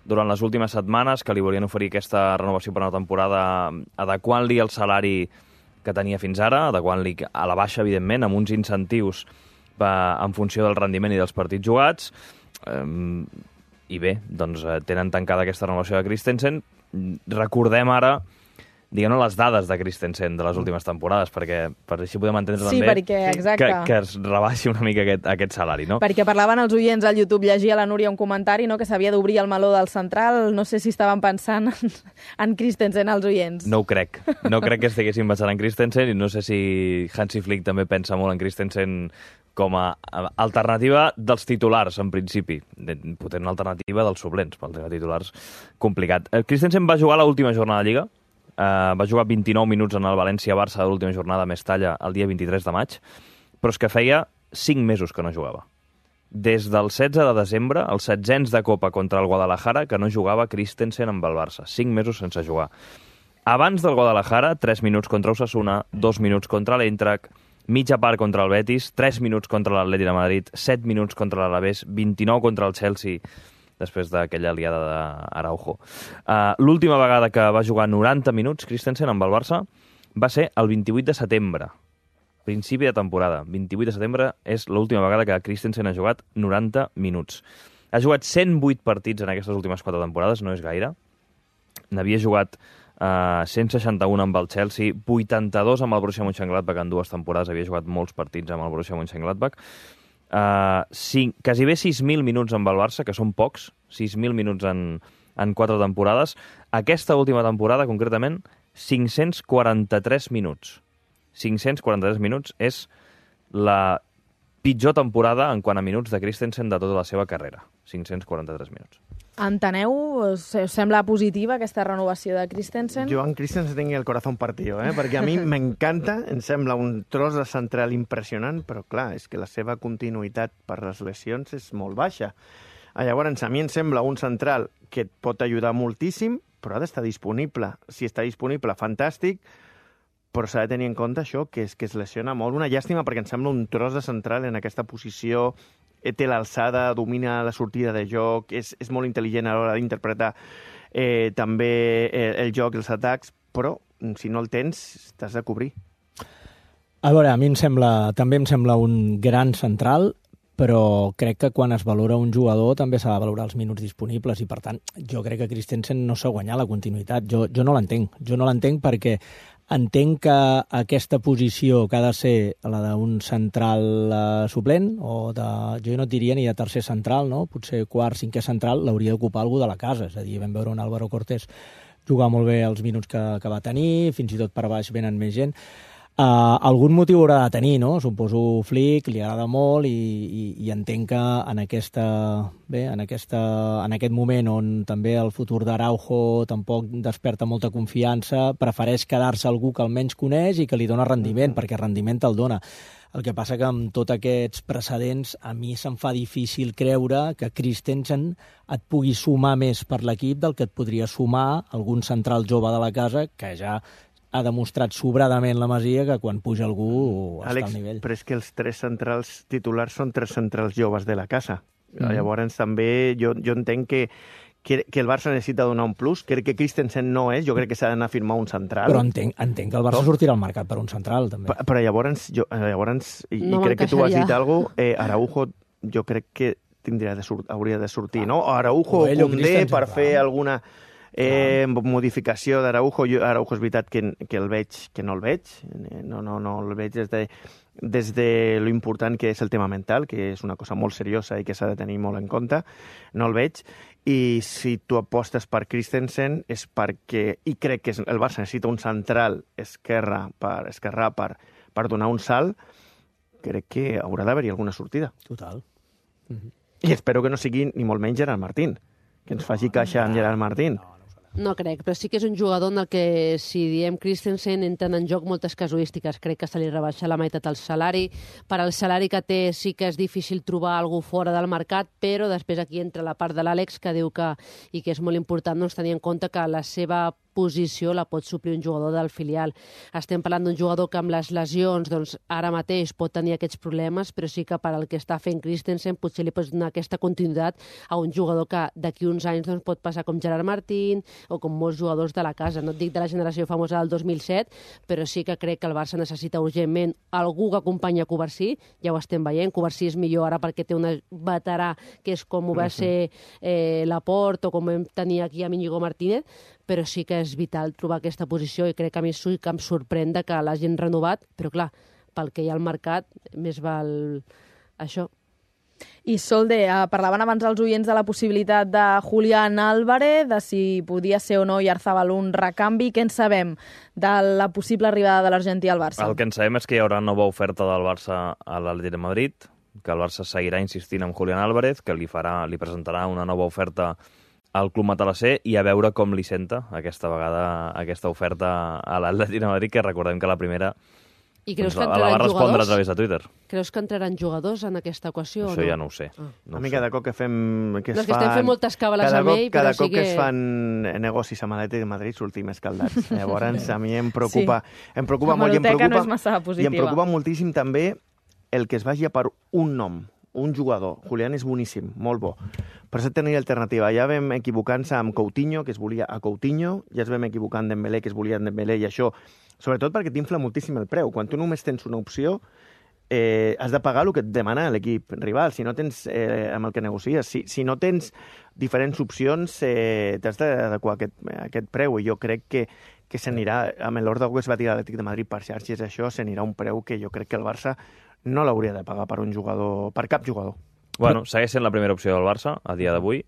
durant les últimes setmanes, que li volien oferir aquesta renovació per una temporada adequant-li el salari que tenia fins ara, adequant-li a la baixa, evidentment, amb uns incentius en funció del rendiment i dels partits jugats. I bé, doncs tenen tancada aquesta renovació de Christensen. Recordem ara, diguem-ne, les dades de Christensen de les últimes temporades, perquè per així podem entendre també que es rebaixi una mica aquest salari, no? Perquè parlaven els oients al YouTube, llegia la Núria un comentari, no?, que s'havia d'obrir el meló del central. No sé si estaven pensant en Christensen els oients. No ho crec. No crec que estiguessin pensant en Christensen, i no sé si Hansi Flick també pensa molt en Christensen com a alternativa dels titulars, en principi. Poder una alternativa dels suplents, pel tema de titulars complicat. Christensen va jugar l'última jornada de Lliga, va jugar 29 minuts en el València-Barça de l'última jornada a Mestalla el dia 23 de maig, però és que feia 5 mesos que no jugava. Des del 16 de desembre, els 16ens de Copa contra el Guadalajara, que no jugava Christensen amb el Barça. 5 mesos sense jugar. Abans del Guadalajara, 3 minuts contra Osasuna, 2 minuts contra l'Eintracht, mitja part contra el Betis, 3 minuts contra l'Atlètic de Madrid, 7 minuts contra l'Alavés, 29 contra el Chelsea, després d'aquella aliada d'Araujo. L'última vegada que va jugar 90 minuts Christensen amb el Barça va ser el 28 de setembre, principi de temporada. 28 de setembre és l'última vegada que Christensen ha jugat 90 minuts. Ha jugat 108 partits en aquestes últimes 4 temporades, no és gaire. N'havia jugat 161 amb el Chelsea, 82 amb el Borussia Mönchengladbach en 2 temporades, havia jugat molts partits amb el Borussia Mönchengladbach. Quasi bé 6.000 minuts amb el Barça, que són pocs, 6.000 minuts en 4 temporades. Aquesta última temporada, concretament, 543 minuts. 543 minuts és la pitjor temporada en quant a minuts de Christensen de tota la seva carrera. 543 minuts. Enteneu? Us sembla positiva aquesta renovació de Christensen? Jo en Christensen tingui el corazón partido, perquè a mi m'encanta, em sembla un tros de central impressionant, però clar, és que la seva continuïtat per les lesions és molt baixa. Llavors, a mi em sembla un central que et pot ajudar moltíssim, però ha d'estar disponible. Si està disponible, fantàstic, però s'ha de tenir en compte això, que es lesiona molt. Una llàstima, perquè em sembla un tros de central en aquesta posició, té l'alçada, domina la sortida de joc, és molt intel·ligent a l'hora d'interpretar també el joc, els atacs, però si no el tens, t'has de cobrir. A veure, a mi també em sembla un gran central, però crec que quan es valora un jugador també s'ha de valorar els minuts disponibles i, per tant, jo crec que Christensen no s'ha guanyat la continuïtat. Jo no l'entenc. Jo no l'entenc perquè entenc que aquesta posició que ha de ser la d'un central suplent, o jo no et diria ni de tercer central, no? Potser quart, cinquè central, l'hauria d'ocupar algú de la casa. És a dir, vam veure un Álvaro Cortés jugar molt bé els minuts que va tenir, fins i tot per baix venen més gent. Algun motiu haurà de tenir, no? Suposo Flick, li agrada molt i entenc que en aquest moment on també el futur d'Araujo tampoc desperta molta confiança, prefereix quedar-se algú que almenys coneix i que li dona rendiment, perquè rendiment te'l dona. El que passa que amb tots aquests precedents a mi se'm fa difícil creure que Christensen et pugui sumar més per l'equip del que et podria sumar algun central jove de la casa que ja ha demostrat sobradament la Masia que quan puja algú està al nivell. Però és que els 3 centrals titulars són 3 centrals joves de la casa. Llavors també jo entenc que el Barça necessita donar un plus. Crec que Christensen no és, jo crec que s'ha d'anar a firmar un central. Però entenc que el Barça sortirà al mercat per un central, també. Però llavors crec que tu has dit alguna cosa, Araujo jo crec que hauria de sortir, no? Araujo o Koundé per fer alguna modificació d'Araujo. Araujo és veritat que el veig, que no el veig. No el veig des de lo important que és el tema mental, que és una cosa molt seriosa i que s'ha de tenir molt en compte. No el veig. I si tu apostes per Christensen és perquè, i crec que el Barça necessita un central esquerrà per donar un salt, crec que haurà d'haver-hi alguna sortida. Total. I espero que no sigui ni molt menys Gerard Martín, que ens faci caixa amb Gerard Martín. No crec, però sí que és un jugador en el que, si diem Christensen, entren en joc moltes casuístiques. Crec que se li rebaixa la meitat el salari. Per al salari que té sí que és difícil trobar algú fora del mercat, però després aquí entra la part de l'Àlex, que diu que, i que és molt important tenir en compte que la seva posició la pot suplir un jugador del filial. Estem parlant d'un jugador que amb les lesions ara mateix pot tenir aquests problemes, però sí que per al que està fent Christensen potser li pots donar aquesta continuïtat a un jugador que d'aquí uns anys pot passar com Gerard Martín o com molts jugadors de la casa. No et dic de la generació famosa del 2007, però sí que crec que el Barça necessita urgentment algú que acompanyi a Covarsí. Ja ho estem veient. Covarsí és millor ara perquè té un veterà que és com ho va ser Laporte o com vam tenir aquí a Íñigo Martínez, però sí que és vital trobar aquesta posició i crec que a mi sí que em sorprèn que l'hagin renovat, però clar, pel que hi ha al mercat, més val això. I Solde, parlaven abans els oients de la possibilitat de Julián Álvarez, de si podia ser o no Iarzábal un recanvi. Què en sabem de la possible arribada de l'argentí al Barça? El que en sabem és que hi haurà nova oferta del Barça a l'Atlètic de Madrid, que el Barça seguirà insistint en Julián Álvarez, que li presentarà una nova oferta al club matalasser i a veure com li senta aquesta vegada aquesta oferta a l'Atlètic de Madrid, que recordem que la primera I creus que la va respondre a través de Twitter. Creus que entraran jugadors en aquesta equació? Això ja no ho sé. A mi cada cop que fem... estem fent moltes càbales amb ell, però cada cop que es fan negocis amb l'Atlètic de Madrid sortim escaldats. Llavors a mi em preocupa molt i em preocupa moltíssim també el que es vagi per un nom, un jugador. Julián és boníssim, molt bo. Per això tenia alternativa. Ja vam equivocant-se amb Coutinho, que es volia a Coutinho, ja es vam equivocar amb Dembélé, que es volia a Dembélé, i això, sobretot perquè t'infla moltíssim el preu. Quan tu només tens una opció, has de pagar el que et demana l'equip rival, si no tens amb el que negocies. Si no tens diferents opcions, t'has d'adequar a aquest preu, i jo crec que s'anirà, amb l'ordre que es va tirar l'Atlètic de Madrid per xarxes, això s'anirà un preu que jo crec que el Barça no l'hauria de pagar per un jugador, per cap jugador. Bueno, segueix sent la primera opció del Barça a dia d'avui,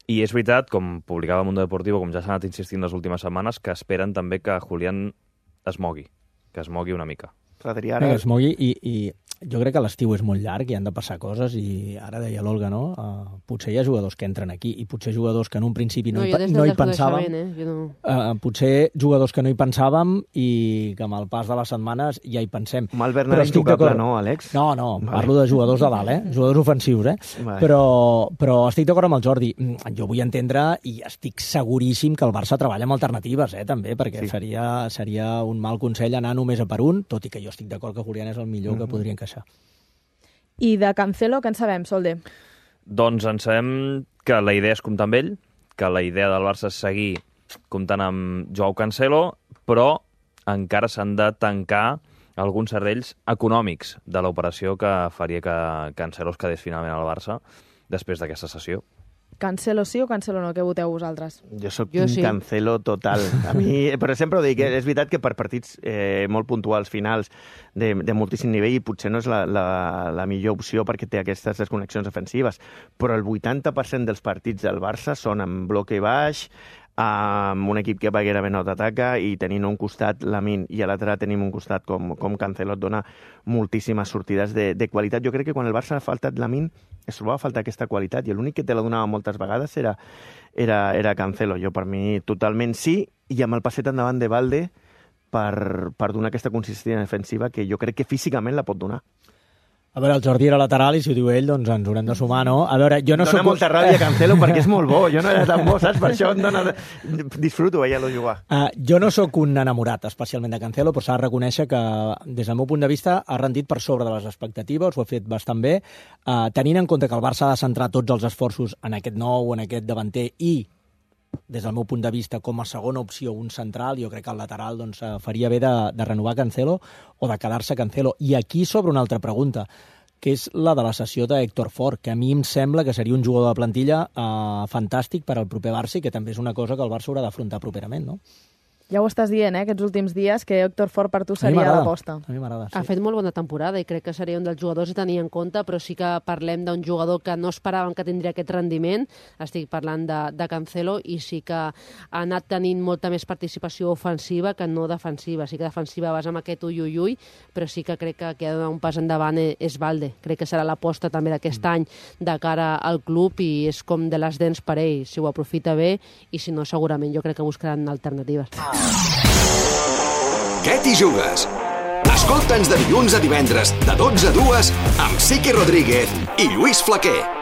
i és veritat, com publicava Mundo Deportivo, com ja s'ha anat insistint les últimes setmanes, que esperen també que Julián es mogui una mica. Que es mogui, i jo crec que l'estiu és molt llarg i han de passar coses, i ara deia l'Olga, no? Potser hi ha jugadors que entren aquí i potser jugadors que en un principi no hi pensàvem. Potser jugadors que no hi pensàvem i que amb el pas de les setmanes ja hi pensem. Malvern era intocable, no, Àlex? No, parlo de jugadors de dalt, jugadors ofensius, Però estic d'acord amb el Jordi. Jo vull entendre, i estic seguríssim que el Barça treballa amb alternatives, també, perquè seria un mal consell anar només a per un, tot i que jo estic d'acord que Julián és el millor que podria encaixar. I de Cancelo, què en sabem, Solde? Doncs en sabem que la idea és comptar amb ell, que la idea del Barça és seguir comptant amb Joao Cancelo, però encara s'han de tancar alguns serrells econòmics de l'operació que faria que Cancelo es quedés finalment al Barça després d'aquesta sessió. Cancelo sí o Cancelo no? Què voteu vosaltres? Jo soc un Cancelo total. A mi, però sempre ho dic, és veritat que per partits molt puntuals, finals, de moltíssim nivell, potser no és la millor opció perquè té aquestes desconnexions ofensives, però el 80% dels partits del Barça són en bloque baix, amb un equip que va gairebé no t'ataca, i tenint un costat Lamine i a l'altre tenim un costat com Cancelo, et dona moltíssimes sortides de qualitat. Jo crec que quan el Barça ha faltat Lamine es trobava a faltar aquesta qualitat, i l'únic que te la donava moltes vegades era Cancelo. Jo, per mi, totalment sí, i amb el passet endavant de Valde per donar aquesta consistència defensiva que jo crec que físicament la pot donar. A veure, el Jordi era lateral i si ho diu ell, doncs ens haurem de sumar, no? A veure, jo no Dóna soc... molta ràbia Cancelo perquè és molt bo. Jo no era tan bo, saps? Per això em dóna... Disfruto veient-lo jugar. Jo no sóc un enamorat especialment de Cancelo, però s'ha de reconèixer que, des del meu punt de vista, ha rendit per sobre de les expectatives, ho ha fet bastant bé, tenint en compte que el Barça ha de centrar tots els esforços en aquest nou, en aquest davanter i, des del meu punt de vista, com a segona opció, un central, jo crec que el lateral doncs, faria bé de renovar Cancelo o de quedar-se Cancelo. I aquí s'obre una altra pregunta, que és la de la cessió d'Héctor Fort, que a mi em sembla que seria un jugador de plantilla fantàstic per al proper Barça i que també és una cosa que el Barça haurà d'afrontar properament, no? Ja ho estàs dient, aquests últims dies, que Héctor Fort per tu seria l'aposta. A mi m'agrada, sí. Ha fet molt bona temporada i crec que seria un dels jugadors a tenir en compte, però sí que parlem d'un jugador que no esperàvem que tindria aquest rendiment. Estic parlant de Cancelo i sí que ha anat tenint molta més participació ofensiva que no defensiva. Sí que defensiva vas amb aquest ui, però sí que crec que qui ha de donar un pas endavant és Valde. Crec que serà l'aposta també d'aquest any de cara al club i és com de les dents per ell, si ho aprofita bé i si no segurament jo crec que buscaran alternatives. Què t'hi jugues? Escolta'ns de dilluns a divendres de 12 a 2 amb Siqui Rodríguez i Lluís Flaquer.